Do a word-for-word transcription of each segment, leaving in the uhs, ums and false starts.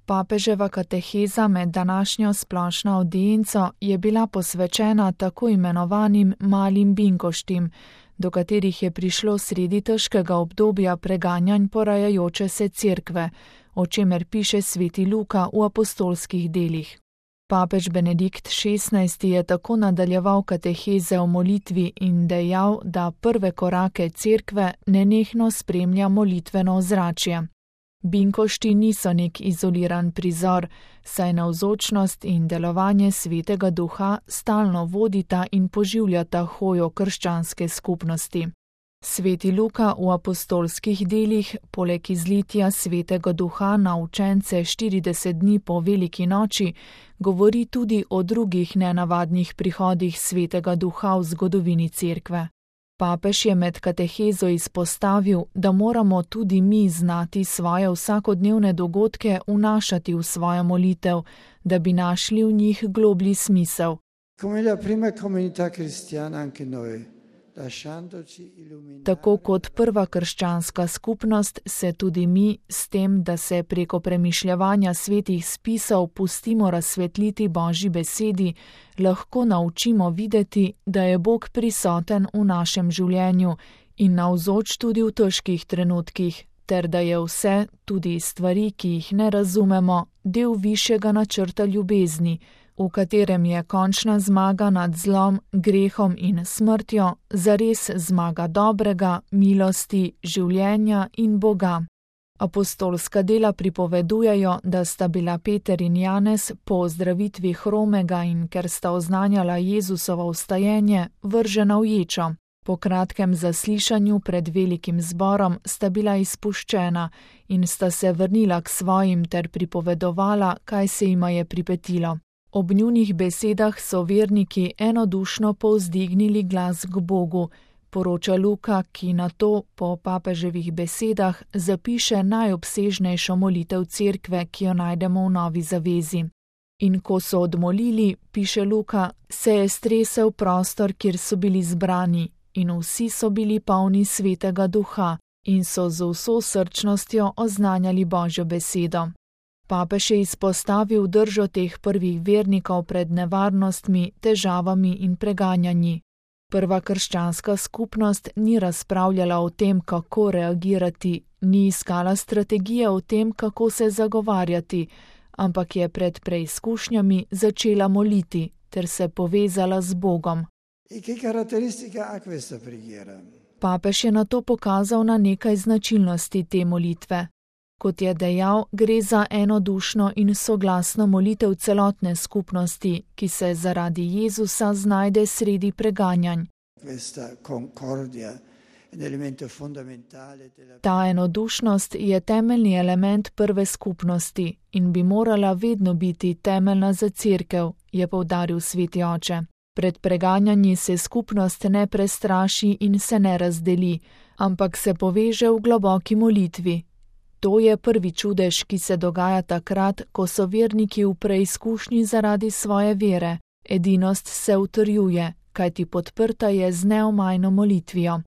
Papeževa kateheza med današnjo splošno avdienco je bila posvečena tako imenovanim malim binkoštim, do katerih je prišlo sredi težkega obdobja preganjanj porajajoče se cerkve, o čemer piše sveti Luka v apostolskih delih. Papež Benedikt šestnajsti je tako nadaljeval kateheze o molitvi in dejal, da prve korake cerkve nenehno spremlja molitveno ozračje. Binkošti niso nek izoliran prizor, saj navzočnost in delovanje svetega duha stalno vodita in poživljata hojo krščanske skupnosti. Sveti Luka v apostolskih delih, poleg izlitja svetega duha na učence štirideset dni po veliki noči, govori tudi o drugih nenavadnih prihodih svetega duha v zgodovini cerkve. Papež je med katehezo izpostavil, da moramo tudi mi znati svoje vsakodnevne dogodke vnašati v svojo molitev, da bi našli v njih globlji smisel. Tako kot prva krščanska skupnost se tudi mi s tem, da se preko premišljevanja svetih spisov pustimo razsvetliti Božji besedi, lahko naučimo videti, da je Bog prisoten v našem življenju in navzoč tudi v težkih trenutkih, ter da je vse, tudi stvari, ki jih ne razumemo, del višjega načrta ljubezni, v katerem je končna zmaga nad zlom, grehom in smrtjo, zares zmaga dobrega, milosti, življenja in Boga. Apostolska dela pripovedujejo, da sta bila Peter in Janez po ozdravitvi hromega in ker sta oznanjala Jezusovo vstajenje, vržena v ječo. Po kratkem zaslišanju pred velikim zborom sta bila izpuščena in sta se vrnila k svojim ter pripovedovala, kaj se jima je pripetilo. Ob njunih besedah so verniki enodušno povzdignili glas k Bogu, poroča Luka, ki na to po papeževih besedah zapiše najobsežnejšo molitev cerkve, ki jo najdemo v Novi zavezi. In ko so odmolili, piše Luka, se je stresel prostor, kjer so bili zbrani, in vsi so bili polni svetega duha in so z vso srčnostjo oznanjali Božjo besedo. Papež je izpostavil držo teh prvih vernikov pred nevarnostmi, težavami in preganjanji. Prva krščanska skupnost ni razpravljala o tem, kako reagirati, ni iskala strategije o tem, kako se zagovarjati, ampak je pred preizkušnjami začela moliti ter se povezala z Bogom. Papež je nato pokazal na nekaj značilnosti te molitve. Kot je dejal, gre za enodušno in soglasno molitev celotne skupnosti, ki se zaradi Jezusa znajde sredi preganjanj. Ta enodušnost je temeljni element prve skupnosti in bi morala vedno biti temeljna za cerkev, je poudaril sveti oče. Pred preganjanji se skupnost ne prestraši in se ne razdeli, ampak se poveže v globoki molitvi. To je prvi čudež, ki se dogaja takrat, ko so verniki v preizkušnji zaradi svoje vere. Edinost se utrjuje, kajti podprta je z neomajno molitvijo.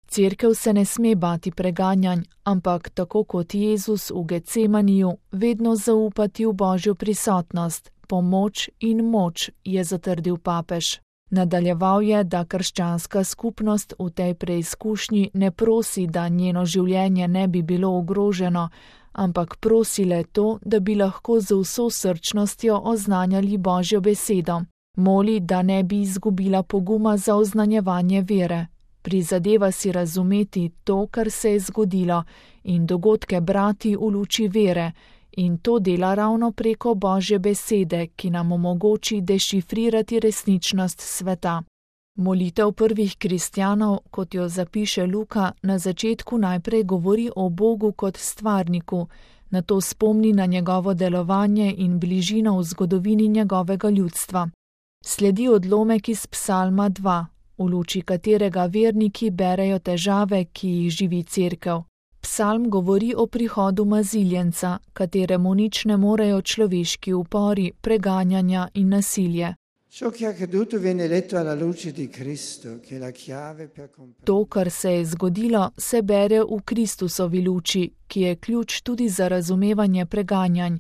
Cerkev se ne sme bati preganjanj, ampak tako kot Jezus v Getsemaniju, vedno zaupati v Božjo prisotnost, pomoč in moč, je zatrdil papež. Nadaljeval je, da krščanska skupnost v tej preizkušnji ne prosi, da njeno življenje ne bi bilo ogroženo, ampak prosi le to, da bi lahko z vso srčnostjo oznanjali Božjo besedo. Moli, da ne bi izgubila poguma za oznanjevanje vere. Prizadeva si razumeti to, kar se je zgodilo, in dogodke brati v luči vere, in to dela ravno preko Božje besede, ki nam omogoči dešifrirati resničnost sveta. Molitev prvih kristjanov, kot jo zapiše Luka, na začetku najprej govori o Bogu kot stvarniku, nato spomni na njegovo delovanje in bližino v zgodovini njegovega ljudstva. Sledi odlomek iz Psalma dva, v luči katerega verniki berejo težave, ki jih živi cerkev. Psalm govori o prihodu maziljenca, kateremu nič ne morejo človeški upori, preganjanja in nasilje. To, kar se je zgodilo, se bere v Kristusovi luči, ki je ključ tudi za razumevanje preganjanj,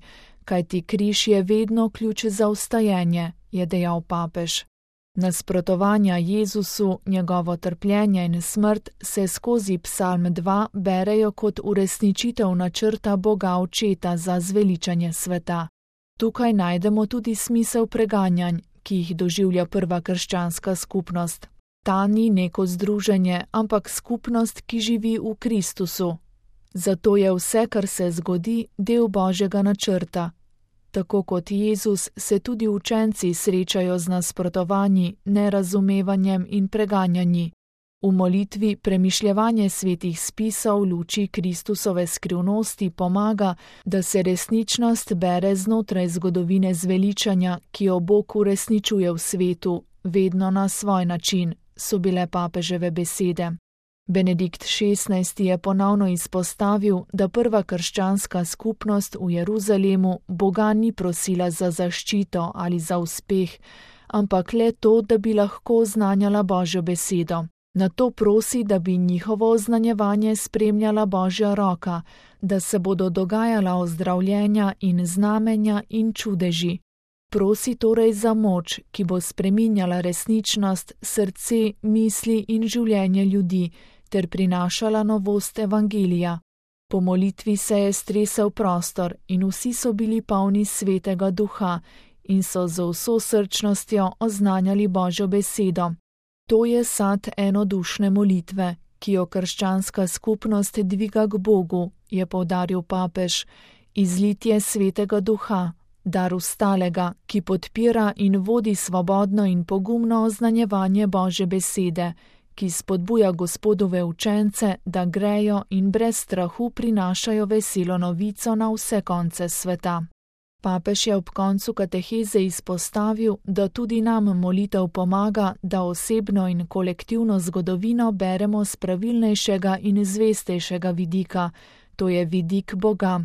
kajti križ je vedno ključ za vstajenje, je dejal papež. Nasprotovanja Jezusu, njegovo trpljenje in smrt se skozi Psalm dva berejo kot uresničitev načrta Boga Očeta za zveličanje sveta. Tukaj najdemo tudi smisel preganjanj, ki jih doživlja prva krščanska skupnost. Ta ni neko združenje, ampak skupnost, ki živi v Kristusu. Zato je vse, kar se zgodi, del Božjega načrta. Tako kot Jezus se tudi učenci srečajo z nasprotovanji, nerazumevanjem in preganjanji. V molitvi premišljevanje svetih spisov v luči Kristusove skrivnosti pomaga, da se resničnost bere znotraj zgodovine zveličanja, ki jo Bog uresničuje v svetu, vedno na svoj način, so bile papeževe besede. Benedikt šestnajsti je ponovno izpostavil, da prva krščanska skupnost v Jeruzalemu Boga ni prosila za zaščito ali za uspeh, ampak le to, da bi lahko oznanjala Božjo besedo. Na to prosi, da bi njihovo oznanjevanje spremljala Božja roka, da se bodo dogajala ozdravljenja in znamenja in čudeži. Prosi torej za moč, ki bo spreminjala resničnost, srce, misli in življenje ljudi, ter prinašala novost evangelija. Po molitvi se je stresel prostor in vsi so bili polni svetega duha in so z vso srčnostjo oznanjali Božjo besedo. To je sad enodušne molitve, ki jo krščanska skupnost dviga k Bogu, je poudaril papež, izlitje svetega duha, dar ustalega, ki podpira in vodi svobodno in pogumno oznanjevanje Božje besede, ki spodbuja Gospodove učence, da grejo in brez strahu prinašajo veselo novico na vse konce sveta. Papež je ob koncu kateheze izpostavil, da tudi nam molitev pomaga, da osebno in kolektivno zgodovino beremo z pravilnejšega in zvestejšega vidika, to je vidik Boga.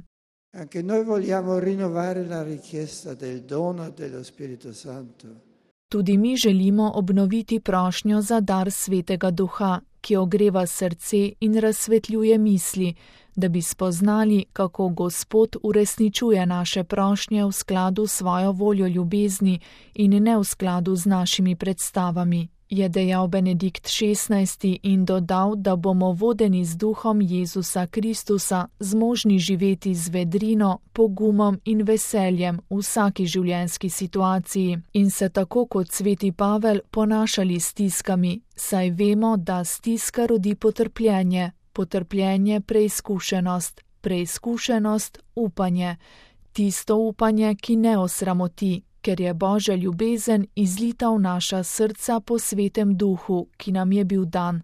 Anche noi vogliamo rinnovare la richiesta del dono dello Spirito Santo. Tudi mi želimo obnoviti prošnjo za dar Svetega Duha, ki ogreva srce in razsvetljuje misli, da bi spoznali, kako Gospod uresničuje naše prošnje v skladu s svojo voljo ljubezni in ne v skladu z našimi predstavami, je dejal Benedikt šestnajsti in dodal, da bomo vodeni z duhom Jezusa Kristusa zmožni živeti z vedrino, pogumom in veseljem v vsaki življenjski situaciji in se tako kot sveti Pavel ponašali s stiskami, saj vemo, da stiska rodi potrpljenje, potrpljenje preizkušenost, preizkušenost upanje, tisto upanje, ki ne osramoti, ker je Božja ljubezen izlita v naša srca po svetem duhu, ki nam je bil dan.